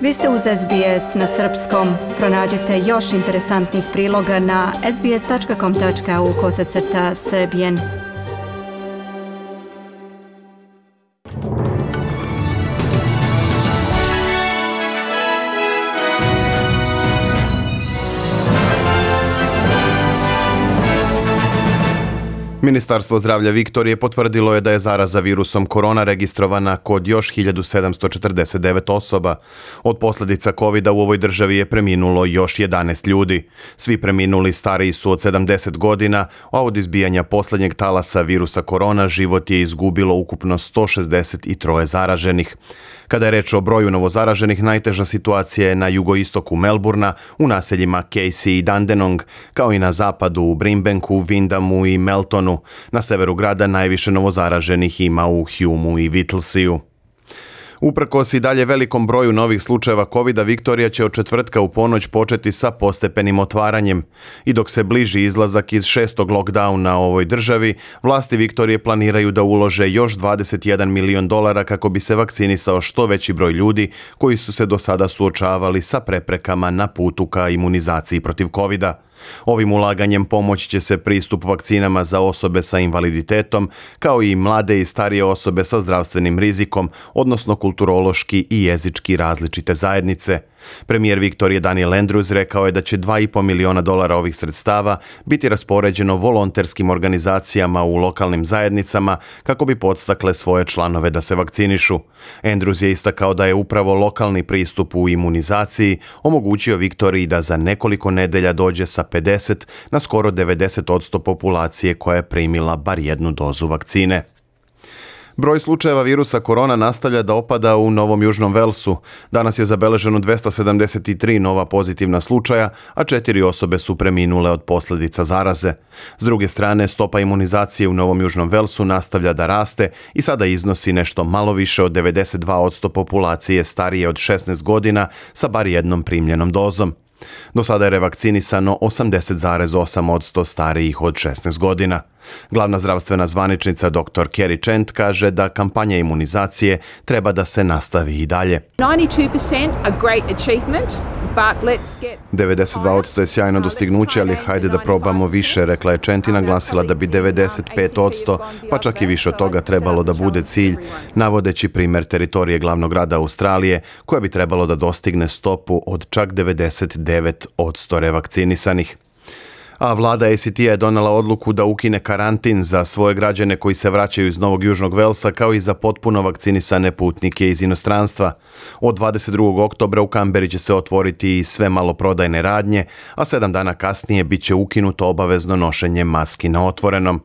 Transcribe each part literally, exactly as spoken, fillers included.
Vi ste uz S B S na srpskom. Pronađite još interesantnih priloga na sbs.com.au kosacrta srbijen. Ministarstvo zdravlja Viktorije potvrdilo je da je zaraza virusom korona registrovana kod još hiljadu sedamsto četrdeset devet osoba. Od posljedica kovida u ovoj državi je preminulo još jedanaest ljudi. Svi preminuli stariji su od sedamdeset godina, a od izbijanja posljednjeg talasa virusa korona život je izgubilo ukupno sto šezdeset tri zaraženih. Kada je reč o broju novozaraženih, najteža situacija je na jugoistoku Melburna, u naseljima Casey i Dandenong, kao i na zapadu u Brimbanku, Windamu i Meltonu. Na severu grada najviše novozaraženih ima u Humeu i Whittlesea. Uprkos i dalje velikom broju novih slučajeva kovida, Viktorija će od četvrtka u ponoć početi sa postepenim otvaranjem. I dok se bliži izlazak iz šestog lockdowna u ovoj državi, vlasti Viktorije planiraju da ulože još dvadeset jedan milion dolara kako bi se vakcinisao što veći broj ljudi koji su se do sada suočavali sa preprekama na putu ka imunizaciji protiv kovida. Ovim ulaganjem pomoći će se pristup vakcinama za osobe sa invaliditetom, kao i mlade i starije osobe sa zdravstvenim rizikom, odnosno kulturološki i jezički različite zajednice. Premijer Viktorije Daniel Andrews rekao je da će dva i po miliona dolara ovih sredstava biti raspoređeno volonterskim organizacijama u lokalnim zajednicama kako bi podstakle svoje članove da se vakcinišu. Andrews je istakao da je upravo lokalni pristup u imunizaciji omogućio Viktoriji da za nekoliko nedelja dođe sa pedeset na skoro devedeset posto populacije koja je primila bar jednu dozu vakcine. Broj slučajeva virusa korona nastavlja da opada u Novom Južnom Velsu. Danas je zabeleženo dvesta sedamdeset tri nova pozitivna slučaja, a četiri osobe su preminule od posljedica zaraze. S druge strane, stopa imunizacije u Novom Južnom Velsu nastavlja da raste i sada iznosi nešto malo više od devedeset dva posto populacije starije od šesnaest godina sa bar jednom primljenom dozom. Do sada je revakcinisano osamdeset zarez osam posto starijih od šesnaest godina. Glavna zdravstvena zvaničnica doktor Kerry Chant kaže da kampanja imunizacije treba da se nastavi i dalje. devedeset dva posto je sjajno dostignuće, ali hajde da probamo više, rekla je Chant i naglasila da bi devedeset pet posto, pa čak i više od toga trebalo da bude cilj, navodeći primjer teritorije glavnog grada Australije, koja bi trebalo da dostigne stopu od čak devedeset devet posto revakcinisanih. A vlada A C T-a je donela odluku da ukine karantin za svoje građane koji se vraćaju iz Novog Južnog Velsa, kao i za potpuno vakcinisane putnike iz inostranstva. Od dvadeset drugog oktobra u Kamberi će se otvoriti i sve maloprodajne radnje, a sedam dana kasnije bit će ukinuto obavezno nošenje maski na otvorenom.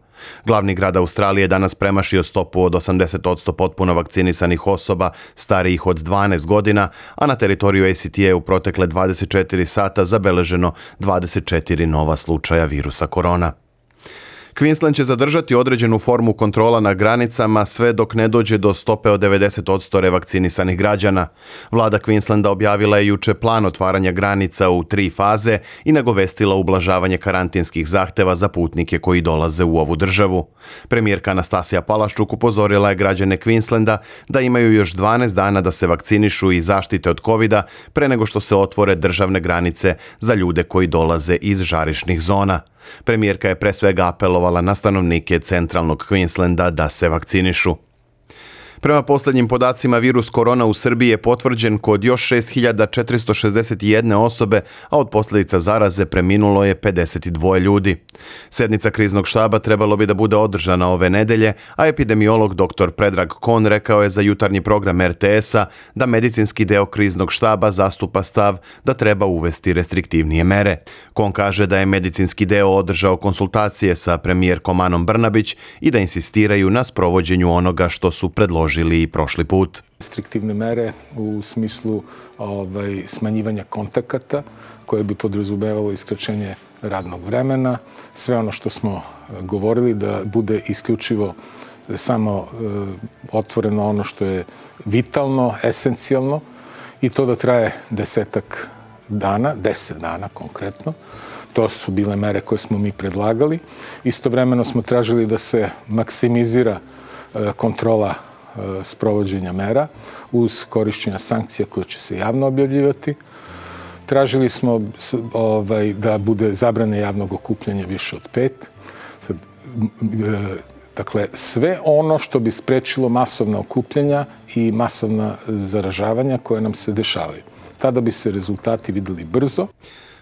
Glavni grad Australije danas premašio stopu od osamdeset posto potpuno vakcinisanih osoba starijih od dvanaest godina, a na teritoriju A C T-a u protekle dvadeset četiri sata zabeleženo dvadeset četiri nova slučaja virusa korona. Queensland će zadržati određenu formu kontrola na granicama sve dok ne dođe do stope od devedeset posto revakcinisanih građana. Vlada Queenslanda objavila je juče plan otvaranja granica u tri faze i nagovestila ublažavanje karantinskih zahteva za putnike koji dolaze u ovu državu. Premijerka Anastasija Palaščuk upozorila je građane Queenslanda da imaju još dvanaest dana da se vakcinišu i zaštite od kovida pre nego što se otvore državne granice za ljude koji dolaze iz žarišnih zona. Premijerka je pre svega apelovala na stanovnike centralnog Queenslanda da se vakcinišu. Prema posljednjim podacima, virus korona u Srbiji je potvrđen kod još šest hiljada četiristo šezdeset jedne osobe, a od posljedica zaraze preminulo je pedeset dva ljudi. Sednica kriznog štaba trebalo bi da bude održana ove nedelje, a epidemiolog doktor Predrag Kon rekao je za jutarnji program R T S-a da medicinski deo kriznog štaba zastupa stav da treba uvesti restriktivnije mere. Kon kaže da je medicinski deo održao konsultacije sa premijerkom Anom Brnabić i da insistiraju na sprovođenju onoga što su predložili i prošli put. Restriktivne mere u smislu ovaj, smanjivanja kontakata koje bi podrazumevalo iskraćenje radnog vremena, sve ono što smo govorili da bude isključivo samo e, otvoreno ono što je vitalno, esencijalno i to da traje desetak dana, deset dana konkretno. To su bile mere koje smo mi predlagali. Istovremeno smo tražili da se maksimizira e, kontrola sprovođenja mera uz korišćenja sankcija koje će se javno objavljivati. Tražili smo ovaj, da bude zabrane javnog okupljanja više od pet. Sad, dakle, sve ono što bi sprečilo masovna okupljanja i masovna zaražavanja koje nam se dešavaju. Tada bi se rezultati videli brzo.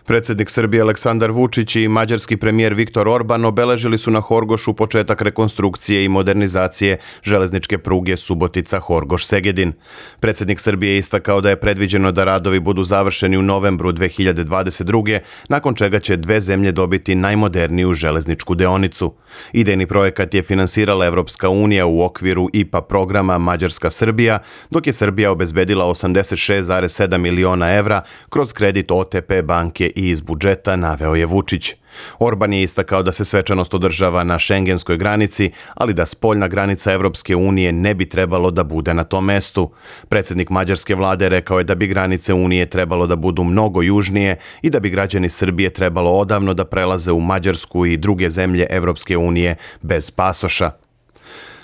Predsjednik Srbije Aleksandar Vučić i mađarski premijer Viktor Orban obeležili su na Horgošu početak rekonstrukcije i modernizacije železničke pruge Subotica-Horgoš-Segedin. Predsjednik Srbije je istakao da je predviđeno da radovi budu završeni u novembru dve hiljade dvadeset druge, nakon čega će dve zemlje dobiti najmoderniju železničku deonicu. Idejni projekat je finansirala Evropska unija u okviru I P A programa Mađarska-Srbija, dok je Srbija obezbedila osamdeset šest zarez sedam miliona evra kroz kredit O T P banke i iz budžeta, naveo je Vučić. Orban je istakao da se svečanost održava na šengenskoj granici, ali da spoljna granica Evropske unije ne bi trebalo da bude na tom mestu. Predsjednik mađarske vlade rekao je da bi granice Unije trebalo da budu mnogo južnije i da bi građani Srbije trebalo odavno da prelaze u Mađarsku i druge zemlje Evropske unije bez pasoša.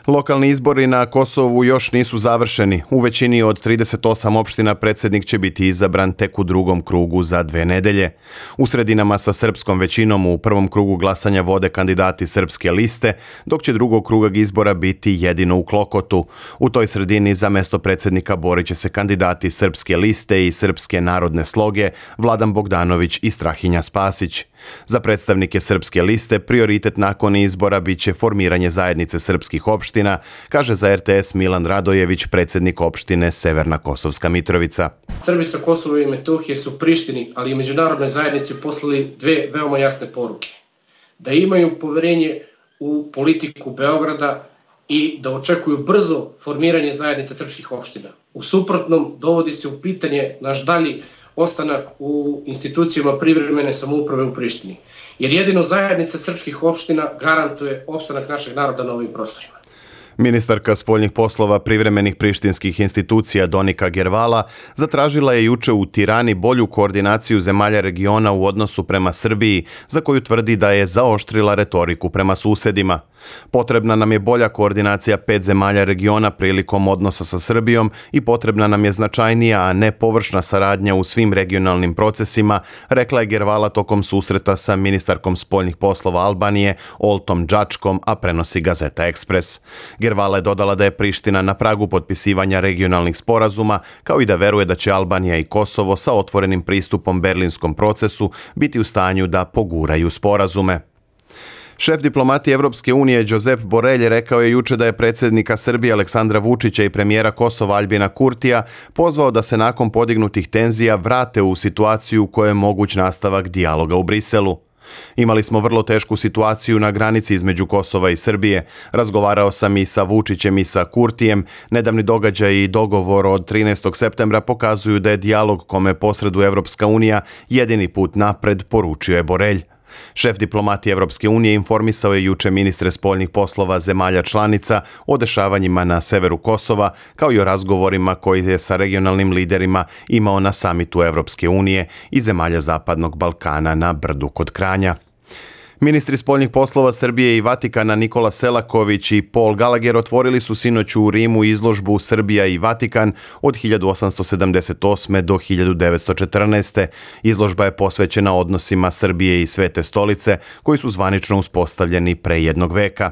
Lokalni izbori na Kosovu još nisu završeni. U većini od trideset osam opština predsjednik će biti izabran tek u drugom krugu za dve nedelje. U sredinama sa srpskom većinom u prvom krugu glasanja vode kandidati srpske liste, dok će drugog kruga izbora biti jedino u Klokotu. U toj sredini za mesto predsjednika borit će se kandidati srpske liste i srpske narodne sloge Vladan Bogdanović i Strahinja Spasić. Za predstavnike srpske liste prioritet nakon izbora biće formiranje zajednice srpskih opština, kaže za R T S Milan Radojević, predsjednik opštine Severna Kosovska Mitrovica. Srbi sa Kosova i Metohije su Prištini, ali i međunarodnoj zajednici poslali dve veoma jasne poruke. Da imaju poverenje u politiku Beograda i da očekuju brzo formiranje zajednice srpskih opština. U suprotnom dovodi se u pitanje naš dalji ostanak u institucijama privremene samouprave u Prištini. Jer jedino zajednica srpskih opština garantuje opstanak našeg naroda na ovim prostorima. Ministarka spoljnih poslova privremenih prištinskih institucija Donika Gervala zatražila je juče u Tirani bolju koordinaciju zemalja regiona u odnosu prema Srbiji, za koju tvrdi da je zaoštrila retoriku prema susedima. Potrebna nam je bolja koordinacija pet zemalja regiona prilikom odnosa sa Srbijom i potrebna nam je značajnija, a ne površna saradnja u svim regionalnim procesima, rekla je Gervala tokom susreta sa ministarkom spoljnih poslova Albanije Oltom Džačkom, a prenosi Gazeta Ekspres. Gervala je dodala da je Priština na pragu potpisivanja regionalnih sporazuma, kao i da veruje da će Albanija i Kosovo sa otvorenim pristupom berlinskom procesu biti u stanju da poguraju sporazume. Šef diplomatije Evropske unije Josep Borrell rekao je juče da je predsjednika Srbije Aleksandra Vučića i premijera Kosova Aljbina Kurtija pozvao da se nakon podignutih tenzija vrate u situaciju u kojoj je moguć nastavak dijaloga u Briselu. Imali smo vrlo tešku situaciju na granici između Kosova i Srbije. Razgovarao sam i sa Vučićem i sa Kurtijem. Nedavni događaj i dogovor od trinaestog septembra pokazuju da je dijalog kome posreduje Evropska unija jedini put napred, poručio je Borrell. Šef diplomatije Evropske unije informisao je juče ministre spoljnih poslova zemalja članica o dešavanjima na severu Kosova, kao i o razgovorima koji je sa regionalnim liderima imao na samitu Evropske unije i zemalja Zapadnog Balkana na Brdu kod Kranja. Ministri spoljnih poslova Srbije i Vatikana Nikola Selaković i Paul Gallagher otvorili su sinoć u Rimu izložbu Srbija i Vatikan od hiljadu osamsto sedamdeset osme do hiljadu devetsto četrnaeste. Izložba je posvećena odnosima Srbije i Svete stolice, koji su zvanično uspostavljeni pre jednog veka.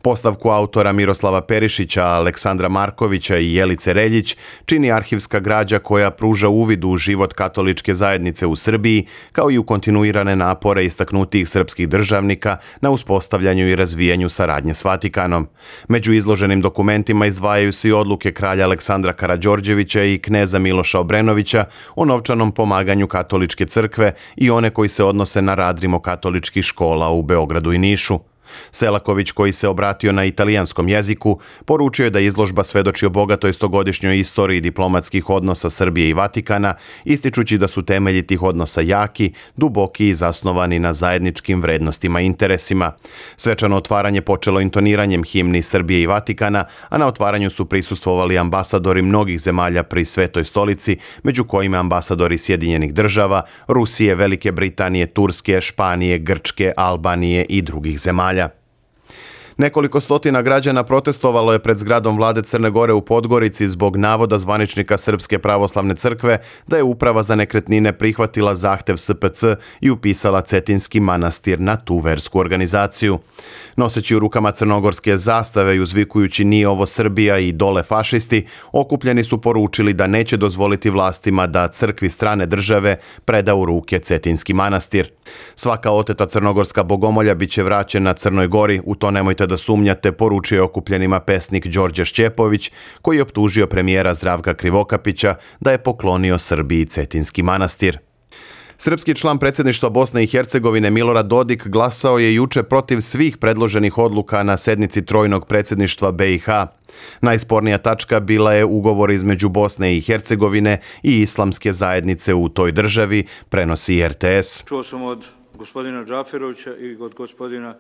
Postavku autora Miroslava Perišića, Aleksandra Markovića i Jelice Reljić čini arhivska građa koja pruža uvid u život katoličke zajednice u Srbiji, kao i u kontinuirane napore istaknutih srpskih državnika na uspostavljanju i razvijanju saradnje s Vatikanom. Među izloženim dokumentima izdvajaju se i odluke kralja Aleksandra Karađorđevića i kneza Miloša Obrenovića o novčanom pomaganju katoličke crkve i one koji se odnose na rad rimokatoličkih škola u Beogradu i Nišu. Selaković, koji se obratio na italijanskom jeziku, poručio je da izložba svedoči o bogatoj stogodišnjoj istoriji diplomatskih odnosa Srbije i Vatikana, ističući da su temelji tih odnosa jaki, duboki i zasnovani na zajedničkim vrednostima i interesima. Svečano otvaranje počelo intoniranjem himni Srbije i Vatikana, a na otvaranju su prisustvovali ambasadori mnogih zemalja pri Svetoj stolici, među kojima ambasadori Sjedinjenih država, Rusije, Velike Britanije, Turske, Španije, Grčke, Albanije i drugih zemalja. Nekoliko stotina građana protestovalo je pred zgradom vlade Crne Gore u Podgorici zbog navoda zvaničnika Srpske pravoslavne crkve da je Uprava za nekretnine prihvatila zahtev S P C i upisala Cetinski manastir na tu versku organizaciju. Noseći u rukama crnogorske zastave i uzvikujući "Nije ovo Srbija" i "Dole fašisti", okupljeni su poručili da neće dozvoliti vlastima da crkvi strane države preda u ruke Cetinski manastir. Svaka oteta crnogorska bogomolja bit će vraćena Crnoj Gori, u to nemojte da sumnjate, poručio je okupljenima pesnik Đorđe Šćepović, koji je optužio premijera Zdravka Krivokapića da je poklonio Srbiji Cetinski manastir. Srpski član predsjedništva Bosne i Hercegovine Milorad Dodik glasao je juče protiv svih predloženih odluka na sednici trojnog predsjedništva B i H. Najspornija tačka bila je ugovor između Bosne i Hercegovine i islamske zajednice u toj državi, prenosi R T S. Čuo sam od gospodina Džaferovića i od gospodina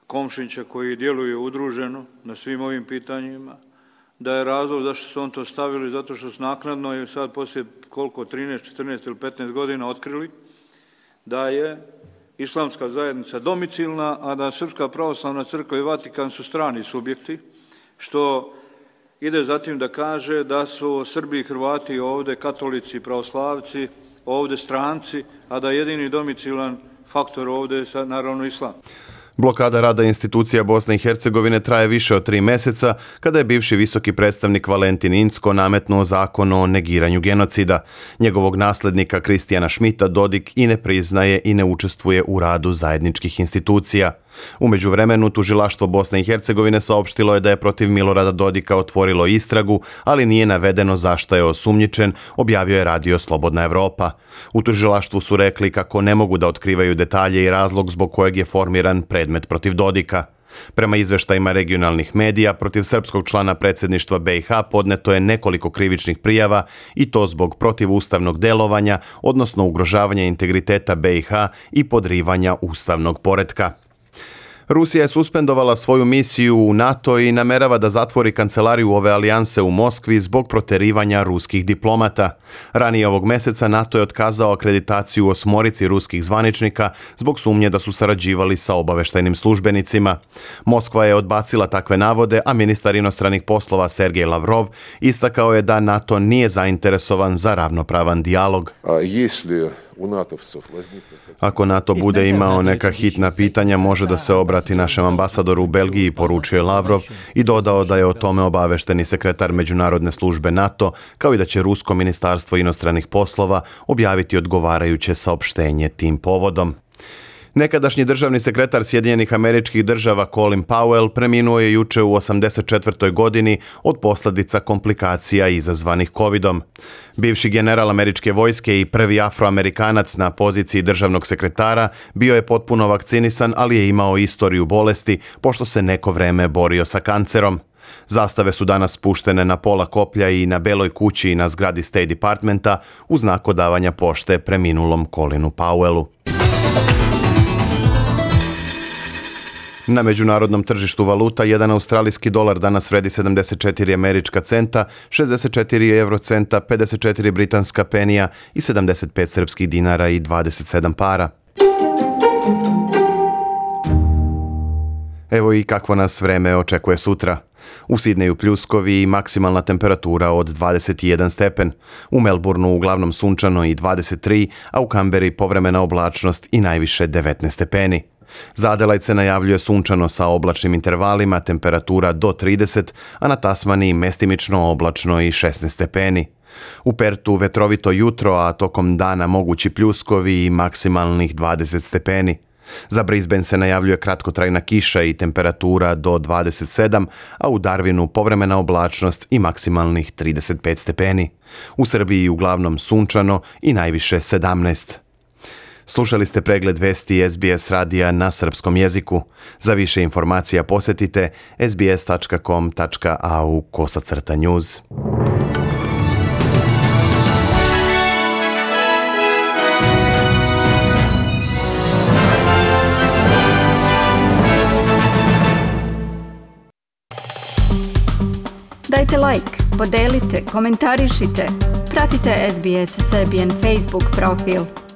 Komšića, koji djeluju udruženo na svim ovim pitanjima, da je razlog zašto su on to stavili, zato što su naknadno i sad poslije koliko, trinaest, četrnaest ili petnaest godina otkrili da je islamska zajednica domicilna, a da Srpska pravoslavna crkva i Vatikan su strani subjekti, što ide zatim da kaže da su Srbi i Hrvati ovdje katolici, pravoslavci, ovdje stranci, a da je jedini domicilan faktor ovdje je naravno islam. Blokada rada institucija Bosne i Hercegovine traje više od tri mjeseca, kada je bivši visoki predstavnik Valentin Incko nametnuo zakon o negiranju genocida. Njegovog nasljednika Kristijana Šmita Dodik i ne priznaje i ne učestvuje u radu zajedničkih institucija. U međuvremenu, tužilaštvo Bosne i Hercegovine saopštilo je da je protiv Milorada Dodika otvorilo istragu, ali nije navedeno zašto je osumnjičen, objavio je radio Slobodna Evropa. U tužilaštvu su rekli kako ne mogu da otkrivaju detalje i razlog zbog kojeg je formiran predmet protiv Dodika. Prema izveštajima regionalnih medija, protiv srpskog člana predsjedništva B i H podneto je nekoliko krivičnih prijava i to zbog protivustavnog delovanja, odnosno ugrožavanja integriteta B i H i podrivanja ustavnog poretka. Rusija je suspendovala svoju misiju u NATO i namerava da zatvori kancelariju ove alijanse u Moskvi zbog proterivanja ruskih diplomata. Ranije ovog mjeseca NATO je otkazao akreditaciju osmorici ruskih zvaničnika zbog sumnje da su sarađivali sa obaveštajnim službenicima. Moskva je odbacila takve navode, a ministar inostranih poslova Sergej Lavrov istakao je da NATO nije zainteresovan za ravnopravan dijalog. Ako NATO bude imao neka hitna pitanja, može da se obrati našem ambasadoru u Belgiji, poručio je Lavrov i dodao da je o tome obavešteni sekretar Međunarodne službe NATO, kao i da će Rusko ministarstvo inostranih poslova objaviti odgovarajuće saopštenje tim povodom. Nekadašnji državni sekretar Sjedinjenih Američkih Država Colin Powell preminuo je juče u osamdeset četvrtoj godini od posljedica komplikacija izazvanih kovidom. Bivši general američke vojske i prvi afroamerikanac na poziciji državnog sekretara bio je potpuno vakcinisan, ali je imao istoriju bolesti pošto se neko vreme borio sa kancerom. Zastave su danas spuštene na pola koplja i na Beloj kući i na zgradi State Departmenta u znak odavanja pošte preminulom Colinu Powellu. Na međunarodnom tržištu valuta jedan australijski dolar danas vredi sedamdeset četiri američka centa, šezdeset četiri eurocenta, pedeset četiri britanska penija i sedamdeset pet srpskih dinara i dvadeset sedam para. Evo i kakvo nas vreme očekuje sutra. U Sidneju pljuskovi i maksimalna temperatura od dvadeset jedan stepen. U Melbourneu uglavnom sunčano i dvadeset tri, a u Kamberi povremena oblačnost i najviše devetnaest stepeni. Za Adelaide se najavljuje sunčano sa oblačnim intervalima, temperatura do trideset, a na Tasmaniji mestimično oblačno i šesnaest stepeni. U Pertu vetrovito jutro, a tokom dana mogući pljuskovi i maksimalnih dvadeset stepeni. Za Brisbane se najavljuje kratkotrajna kiša i temperatura do dvadeset sedam, a u Darwinu povremena oblačnost i maksimalnih trideset pet stepeni. U Srbiji uglavnom sunčano i najviše sedamnaest. Slušali ste pregled vesti S B S radija na srpskom jeziku. Za više informacija posjetite sbs tačka com tačka a u kosacrta news. Dajte like, podelite, komentarišite. Pratite S B S Serbian Facebook profil.